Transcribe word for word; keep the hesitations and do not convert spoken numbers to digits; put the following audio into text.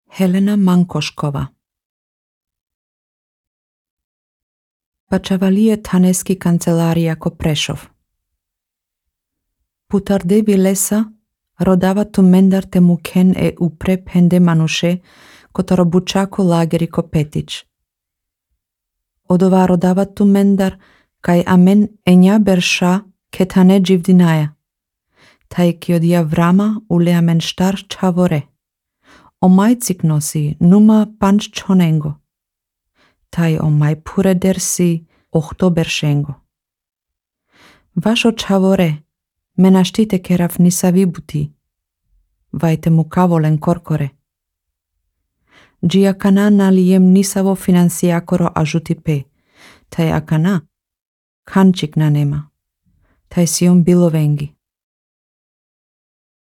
Helena Mankoškova. Pačavalije taneski kancelarija ko Prešov. Putardevi lesa rodava tu mendar te muken e upre pende manuše kotaro bučako lageri ko Petič. Odova rodava tu mendar kaj amen enja berša ketane dživdinaja. Taj kiodia vrama ule amen štar čavore. O majcik nosi numa panč čonengo. Taj o maj pure dersi ohto beršengo. Vašo čavore menaštite kerav nisavi buti. Vajte mu kavolen korkore. Džia kana nalijem nisavo financijakoro ažuti pe. Taj akana kančik na nema. Taj si on bilo vengi.